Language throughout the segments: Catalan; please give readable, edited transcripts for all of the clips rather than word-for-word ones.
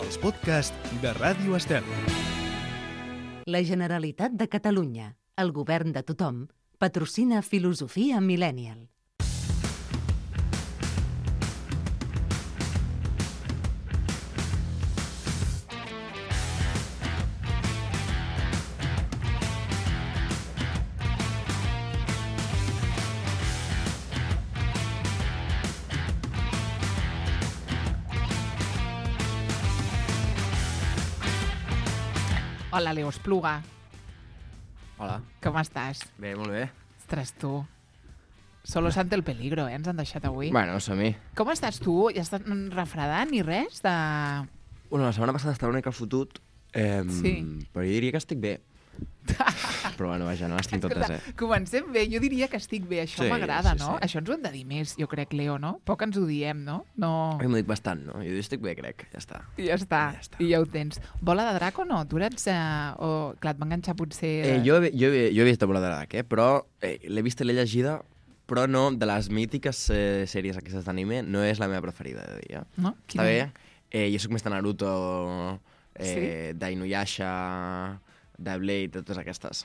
els podcasts de Ràdio Estel. La Generalitat de Catalunya, el govern de tothom, patrocina Filosofia Millennial. Hola, Leo Espluga. Hola. Com estàs? Bé, molt bé. Ostres, tu. Solo ante el peligro, ens han deixat avui. Bueno, som-hi. Com estàs tu? Ja estàs refredant ni res de... Bueno, la setmana passada estava una mica fotut, Sí. però jo diria que estic bé. Però bueno, vaja, no les tinc totes, Comencem bé, jo diria que estic bé, això Sí, m'agrada, sí, no? sí. Això ens ho hem de dir més, jo crec, Leo, no? Poc ens ho diem, no? No... Jo m'ho dic bastant, no? Jo estic bé, crec. Ja està. I ja està, Ja està. i ja ho tens. Bola de drac o no? Tu eres... o, clar, et va enganxar potser... Jo he vist Bola de Drac, però l'he vista i l'he llegida, però no, de les mítiques sèries aquestes d'anime, no és la meva preferida, de dir. No? Està bé? Jo sóc més de Naruto, Sí? d'Inuyasha, de Blade, de totes aquestes.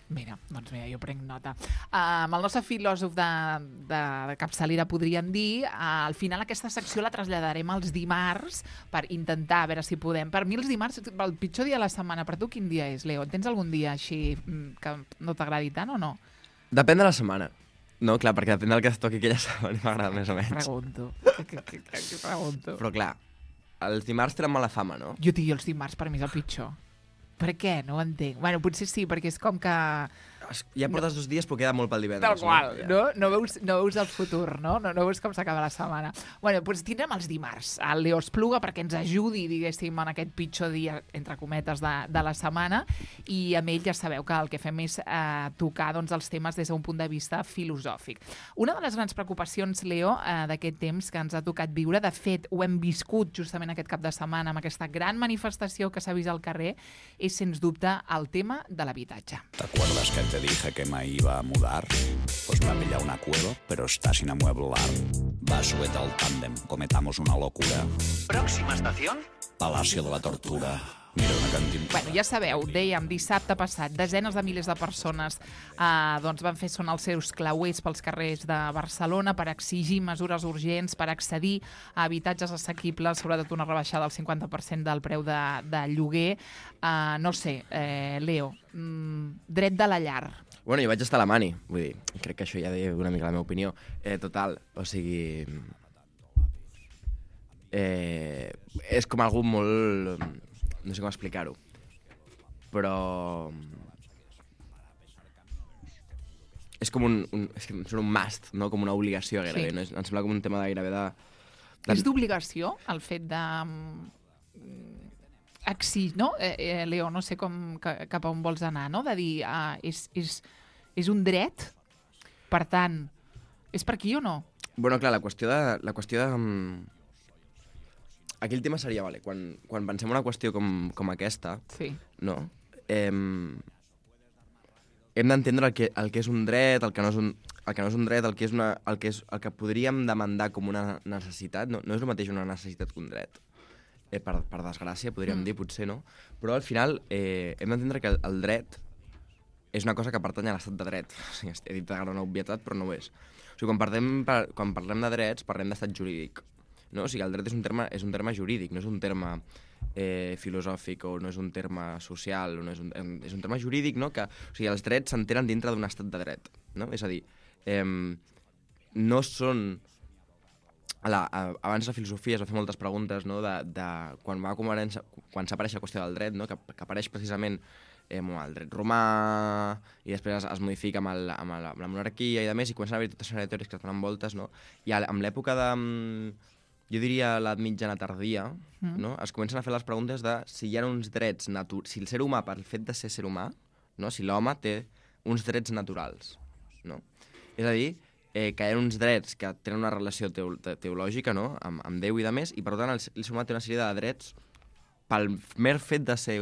Mira, doncs mira, jo prenc nota. Amb el nostre filòsof de capçalera, podríem dir, al final aquesta secció la traslladarem als dimarts per intentar, a veure si podem. Per mi els dimarts, el pitjor dia de la setmana, per tu quin dia és, Leo? Tens algun dia així que no t'agradi tant o no? Depèn de la setmana. No, clar, perquè depèn del que es toqui aquella setmana m'agrada més o menys. Pregunto. Què pregunto? Però clar, els dimarts tenen mala fama, no? Jo tinc els dimarts, per mi és el pitjor. Per què? No ho entenc. Bueno, potser sí, perquè és com que... Ja portes 2 dies, però queda molt pel divendres. Tal qual, Ja. no? No veus el futur, no? No veus com s'acaba la setmana. Bueno, doncs tindrem els dimarts el Leo Espluga perquè ens ajudi, diguéssim, en aquest pitjor dia, entre cometes, de la setmana, i amb ell ja sabeu que el que fem és tocar doncs, els temes des d'un punt de vista filosòfic. Una de les grans preocupacions, Leo, d'aquest temps que ens ha tocat viure, de fet, ho hem viscut justament aquest cap de setmana amb aquesta gran manifestació que s'ha vist al carrer, és, sens dubte, el tema de l'habitatge. ¿Te acuerdas que te dije que me iba a mudar? Pues me ha pillado una cueva, pero está sin amueblar. Va, súbete al tándem, cometamos una locura. Próxima estación. Palacio de la Tortura. Mira una cantimplora. Bueno, ja sabeu, dèiem dissabte passat, desenes de milers de persones doncs van fer sonar els seus clauers pels carrers de Barcelona per exigir mesures urgents, per accedir a habitatges assequibles, sobretot una rebaixada del 50% del preu de lloguer. No sé, Leo, dret de la llar. Bueno, jo vaig estar a la Mani, vull dir, crec que això ja diu una mica la meva opinió. Total, o sigui... és com algú molt... No sé com explicar-ho, però... És com és que em sembla un must, no? Com una obligació gairebé, Sí. no? Em sembla com un tema de gairebé de... És d'obligació el fet de... no? Leo, no sé cap a on vols anar, no? De dir, és un dret, per tant, és per aquí o no? Bueno, clar, la qüestió de aquí el tema seria, vale, quan pensem una qüestió com aquesta, Sí. no? Hem d'entendre el que és un dret, el que no és un dret, el que podríem demandar com una necessitat. No és el mateix una necessitat que un dret. Per desgràcia, podríem dir, potser no. Però al final hem d'entendre que el dret és una cosa que pertany a l'estat de dret. O sigui, he dit una obvietat, però no ho és. O sigui, quan parlem de drets, parlem d'estat jurídic. No? O sigui, el dret és un terme jurídic, no és un terme filosòfic o no és un terme social, o no és un terme jurídic, no? Que, o sigui, els drets s'entenen dintre d'un estat de dret. No? És a dir, no són... Abans la filosofia es va fer moltes preguntes, no? de quan s'apareix la qüestió del dret, no? que apareix precisament el dret romà i després es modifica amb la monarquia i de més, i comencen a haver totes les teories que es donen voltes, no? I amb l'època de... Jo diria l'edat mitjana tardia, no? Es comencen a fer les preguntes de si hi ha uns drets si el ser humà, per el fet de ser ser humà, no? Si l'home té uns drets naturals, no? És a dir, que hi ha uns drets que tenen una relació teològica, no? Amb Déu i de més, i per tant el ser humà té una sèrie de drets pel mer fet de ser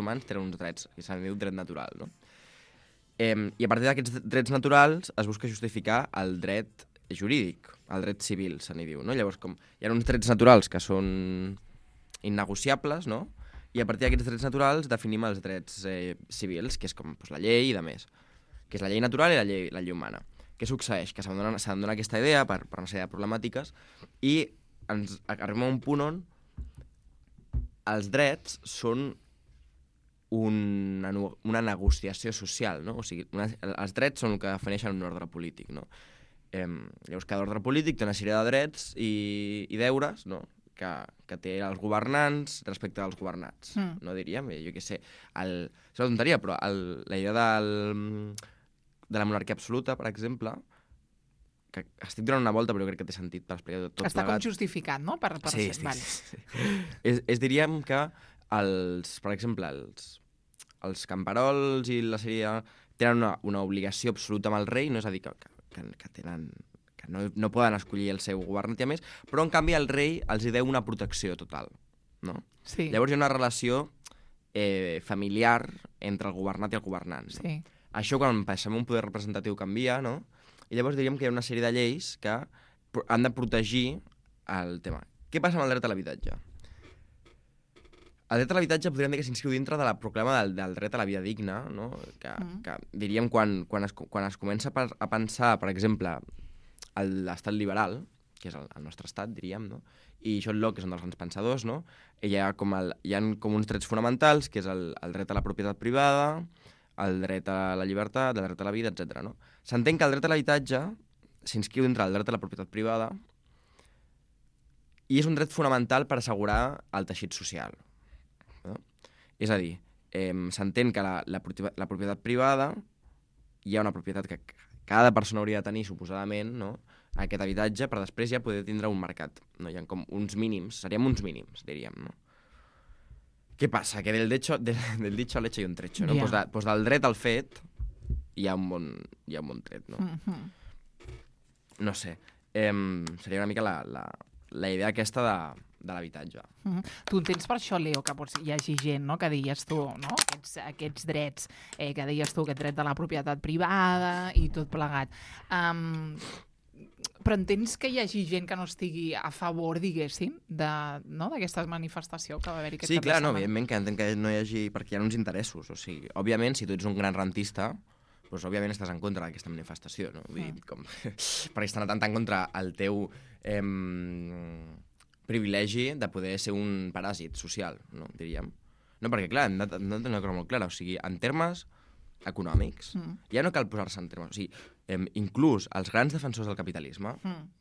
humans tenen uns drets, que se'n diu dret natural, no? I a partir d'aquests drets naturals es busca justificar el dret jurídic, el dret civil, se n'hi diu, no? Llavors, com hi ha uns drets naturals que són innegociables, no? I a partir d'aquests drets naturals definim els drets civils, que és com la llei i de més, que és la llei natural i la llei humana. Què succeeix? Que s'abandona aquesta idea per una sèrie de problemàtiques i ens arribem a un punt on els drets són una negociació social, no? O sigui, els drets són el que defineixen un ordre polític, no? Llavors, cada ordre polític té una sèrie de drets i deures, no? Que té els governants respecte als governats, no diríem? Jo què sé, és una tonteria, però la idea de la monarquia absoluta, per exemple, que estic donant una volta, però jo crec que té sentit per explicar tot plegat. Està com justificat, no? Sí. Diríem que, per exemple, els camperols i la sèrie tenen una obligació absoluta amb el rei, no? És a dir, que no poden escollir el seu governant i a més, però en canvi el rei els hi deu una protecció total, no? Sí. Llavors hi ha una relació familiar entre el governat i el governant. No? Sí. Això quan passem un poder representatiu canvia, no? I llavors diríem que hi ha una sèrie de lleis que han de protegir el tema. Què passa amb el dret a l'habitatge? El dret a l'habitatge podríem dir que s'inscriu dintre de la proclama del dret a la vida digna, no? Que diríem quan es comença a pensar, per exemple, l'estat liberal, que és el nostre estat, diríem, no? I John Locke, que és un dels grans pensadors, no? Hi ha com uns drets fonamentals, que és el dret a la propietat privada, el dret a la llibertat, el dret a la vida, etc. No? S'entén que el dret a l'habitatge s'inscriu dintre del dret a la propietat privada i és un dret fonamental per assegurar el teixit social. No? És a dir, s'entén que la propietat privada, hi ha una propietat que cada persona hauria de tenir, suposadament, no? Aquest habitatge, per després ja poder tindre un mercat. No? Hi ha com uns mínims, seríem uns mínims, diríem. No? Què passa? Que del dicho al hecho hi ha un trecho. No? Yeah. Pues del dret al fet hi ha un bon tret. No, no sé. Seria una mica la idea aquesta de l'habitatge. Tu entens per això, Leo, que hi hagi gent, no?, que deies tu, no?, aquests drets, que deies tu, aquest dret de la propietat privada i tot plegat. Però entens que hi hagi gent que no estigui a favor, diguéssim, d'aquesta manifestació que va haver-hi aquest cap de setmana? Sí, clar, no, evidentment que entenc que no hi hagi... perquè hi ha uns interessos. O sigui, òbviament, si tu ets un gran rentista, doncs, òbviament estàs en contra d'aquesta manifestació, no? Vull dir, perquè estan atentant contra el teu privilegi de poder ser un paràsit social, no? Diríem. No, perquè, clar, hem de tenir una cosa molt clara. O sigui, en termes econòmics, ja no cal posar-se en termes... O sigui, inclús els grans defensors del capitalisme,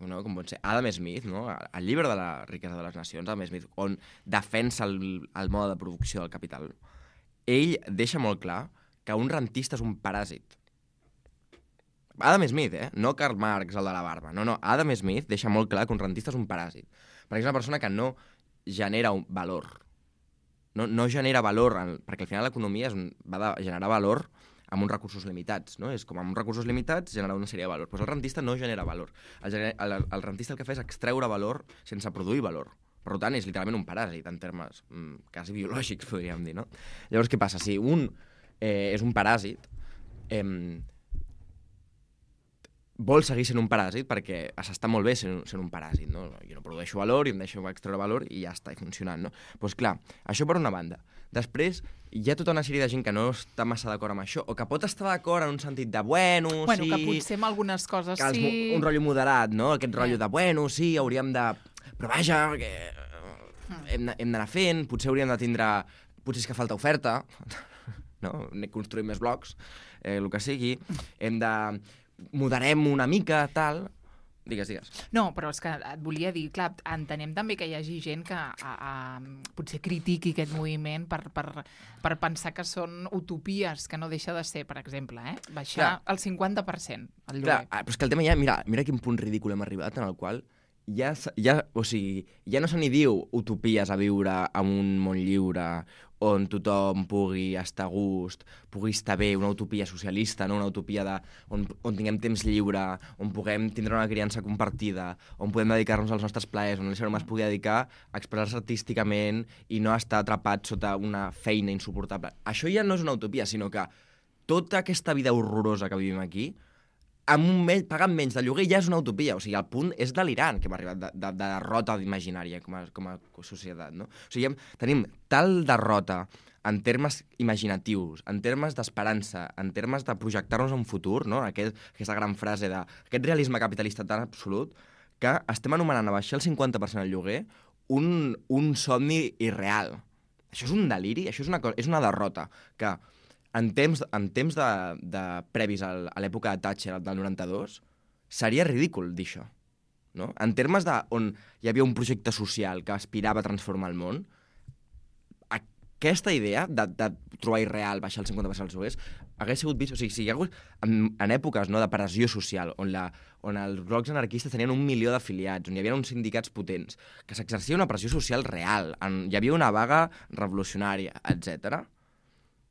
no? Com pot ser Adam Smith, no? El llibre de la riquesa de les nacions, Adam Smith, on defensa el mode de producció del capital, ell deixa molt clar que un rentista és un paràsit. Adam Smith, no Karl Marx, el de la barba. No, Adam Smith deixa molt clar que un rentista és un paràsit. Perquè és una persona que no genera un valor. No genera valor, perquè al final l'economia va de generar valor amb uns recursos limitats, no? És com amb uns recursos limitats generar una sèrie de valor. Doncs el rentista no genera valor. El rentista el que fa és extreure valor sense produir valor. Per tant, és literalment un paràsit en termes quasi biològics, podríem dir, no? Llavors, què passa? Si un és un paràsit, vol seguir sent un paràsit perquè s'està molt bé sent un paràsit, no? Jo no produeixo valor i em deixo extreure valor i ja està funcionant, no? Doncs clar, això per una banda. Després, hi ha tota una sèrie de gent que no està massa d'acord amb això, o que pot estar d'acord en un sentit de bueno, sí... que potser amb algunes coses sí... Un rotllo moderat, no? Aquest rotllo de bueno, sí, hauríem de... Però vaja, hem d'anar fent, potser hauríem de tindre... Potser és que falta oferta, no? Construir més blocs, el que sigui. Hem de... Moderem una mica, tal... Digues. No, però és que et volia dir, clar, entenem també que hi hagi gent que potser critiqui aquest moviment per pensar que són utopies, que no deixa de ser, per exemple, baixar el 50% el lloguer. Clar, però és que el tema ja... Mira quin punt ridícul hem arribat, en el qual ja no se n'hi diu utopies a viure en un món lliure on tothom pugui estar a gust, pugui estar bé, una utopia socialista, no? Una utopia on tinguem temps lliure, on puguem tindre una criança compartida, on podem dedicar-nos als nostres plaers, on l'ésser humà es pugui dedicar a expressar-se artísticament i no estar atrapat sota una feina insuportable. Això ja no és una utopia, sinó que tota aquesta vida horrorosa que vivim aquí pagant menys de lloguer ja és una utopia. O sigui, el punt és delirant que hem arribat de derrota imaginària com a societat, no? O sigui, tenim tal derrota en termes imaginatius, en termes d'esperança, en termes de projectar-nos a un futur, no? Aquesta gran frase d'aquest realisme capitalista tan absolut, que estem anomenant a baixar el 50% del lloguer un somni irreal. Això és un deliri, això és una derrota que en temps de previs a l'època de Thatcher del 92 seria ridícul dir això, no? En termes on hi havia un projecte social que aspirava a transformar el món, aquesta idea de trobar irreal baixar el 50% dels lloguers hagués sigut vist... O sigui, si hi ha hagut en èpoques, no, de pressió social, on els blocs anarquistes tenien 1 milió d'afiliats, on hi havia uns sindicats potents, que s'exercia una pressió social real, hi havia una vaga revolucionària, etc.,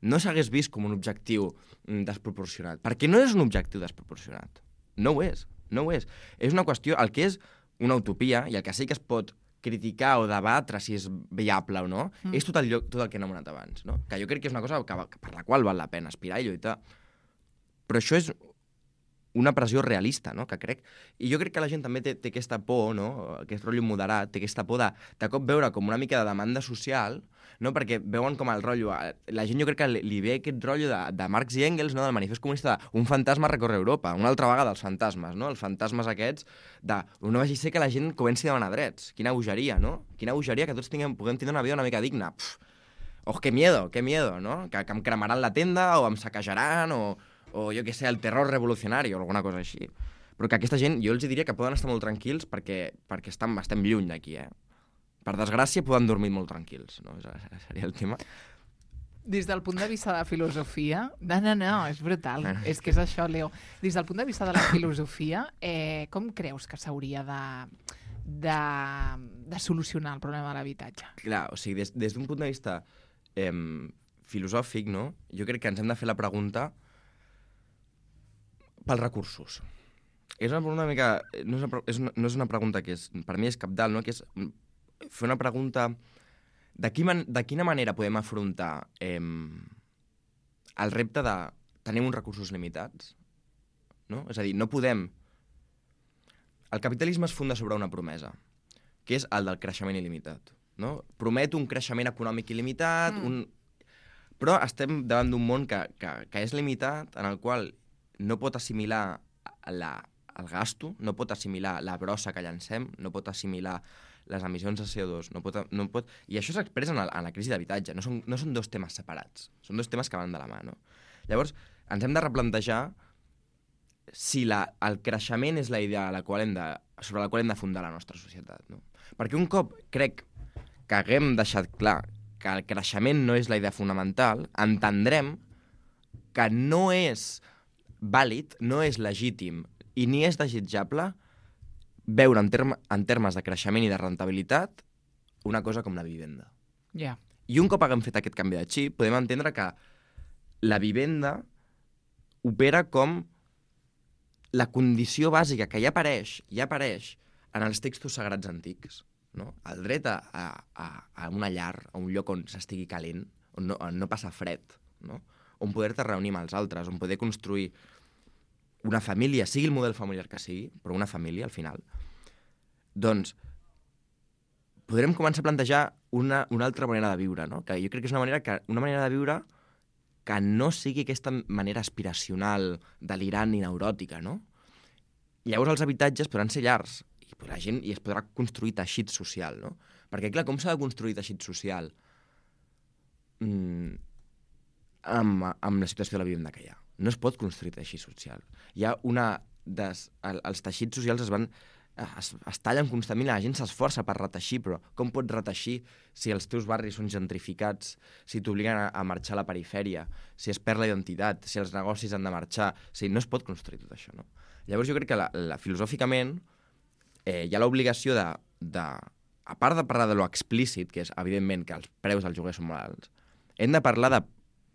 no s'hagués vist com un objectiu desproporcionat. Perquè no és un objectiu desproporcionat. No ho és. No ho és. És una qüestió... El que és una utopia, i el que sí que es pot criticar o debatre si és viable o no, és tot el que hem anomenat abans, no? Que jo crec que és una cosa per la qual val la pena aspirar i lluitar. Però això és una pressió realista, no? Que crec... I jo crec que la gent també té aquesta por, no? Aquest rotllo moderat, té aquesta por de cop veure com una mica de demanda social, no? Perquè veuen com el rotllo... La gent jo crec que li ve aquest rotllo de Marx i Engels, no? Del manifest comunista, un fantasma recorre Europa, una altra vegada els fantasmes, no? Els fantasmes aquests no vagi ser que la gent comenci a demanar drets. Quina bogeria, no? Quina bogeria que tots puguem tenir una vida una mica digna. Qué miedo, no? Que em cremaran la tenda o em saquejaran o jo què sé, el terror revolucionari o alguna cosa així. Però que aquesta gent, jo els diria que poden estar molt tranquils perquè estem lluny d'aquí, eh? Per desgràcia, poden dormir molt tranquils, no? Seria el tema. Des del punt de vista de filosofia... No, és brutal. És que és això, Leo. Des del punt de vista de la filosofia, com creus que s'hauria de solucionar el problema de l'habitatge? Clar, o sigui, des d'un punt de vista filosòfic, no? Jo crec que ens hem de fer la pregunta pels recursos. És una pregunta una mica... No és una pregunta que per mi és cabdal, no? Que és fer una pregunta de quina manera podem afrontar el repte de tenir uns recursos limitats, no? És a dir, no podem... El capitalisme es funda sobre una promesa, que és el del creixement il·limitat, no? Promet un creixement econòmic il·limitat, però estem davant d'un món que és limitat, en el qual no pot assimilar el gasto, no pot assimilar la brossa que llancem, no pot assimilar les emissions de CO2, no pot... I això s'expressa en la crisi d'habitatge. No són dos temes separats, són dos temes que van de la mà, no? Llavors, ens hem de replantejar si el creixement és la idea sobre la qual hem de fundar la nostra societat, no? Perquè un cop crec que haguem deixat clar que el creixement no és la idea fonamental, entendrem que no és vàlid, no és legítim i ni és desitjable veure en termes de creixement i de rentabilitat una cosa com la vivenda. Yeah. I un cop haguem fet aquest canvi de xip, podem entendre que la vivenda opera com la condició bàsica que ja apareix en els textos sagrats antics, no? El dret a una llar, a un lloc on s'estigui calent, on no passa fred, no? On poder-te reunir amb els altres, on poder construir una família, sigui el model familiar que sigui, però una família, al final, doncs podrem començar a plantejar una altra manera de viure, no? Que jo crec que és una manera de viure que no sigui aquesta manera aspiracional, delirant i neuròtica, no? Llavors els habitatges podran ser llars i es podrà construir teixit social, no? Perquè, clar, com s'ha de construir teixit social amb la situació de la vivenda que hi ha? No es pot construir teixit social. Hi ha els teixits socials es tallen constantment, la gent s'esforça per reteixir, però com pots reteixir si els teus barris són gentrificats, si t'obliguen a marxar a la perifèria, si es perd la identitat, si els negocis han de marxar... No es pot construir tot això, no? Llavors jo crec que filosòficament hi ha l'obligació a part de parlar de lo explícit, que és evidentment que els preus dels lloguers són molt alts, hem de parlar de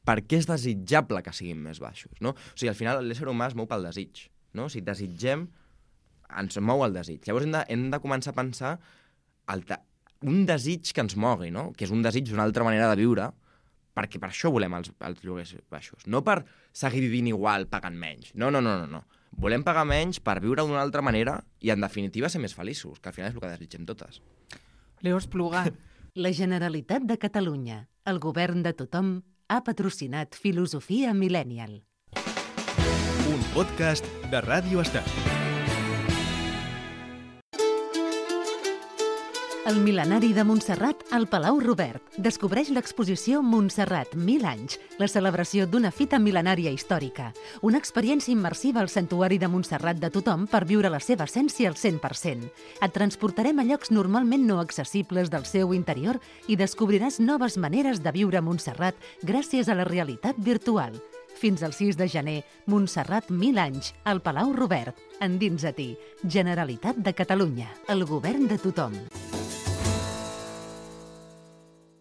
per què és desitjable que siguin més baixos, no? O sigui, al final l'ésser humà es mou pel desig, no? Si desitgem, ens mou el desig. Llavors hem de començar a pensar un desig que ens mogui, no? Que és un desig d'una altra manera de viure, perquè per això volem els lloguers baixos. No per seguir vivint igual pagant menys. No. volem pagar menys per viure d'una altra manera i, en definitiva, ser més feliços, que al final és el que desitgem totes. Leo Espluga. La Generalitat de Catalunya, el govern de tothom, ha patrocinat Filosofia Millennial. Un podcast de Ràdio Estel. El mil·lenari de Montserrat al Palau Robert descobreix l'exposició Montserrat 1000 anys, la celebració d'una fita mil·lenària històrica, una experiència immersiva al santuari de Montserrat de tothom per viure la seva essència al 100%. Et transportarem a llocs normalment no accessibles del seu interior i descobriràs noves maneres de viure a Montserrat gràcies a la realitat virtual. Fins al 6 de gener, Montserrat 1000 anys, al Palau Robert. Endins a ti, Generalitat de Catalunya, el govern de tothom.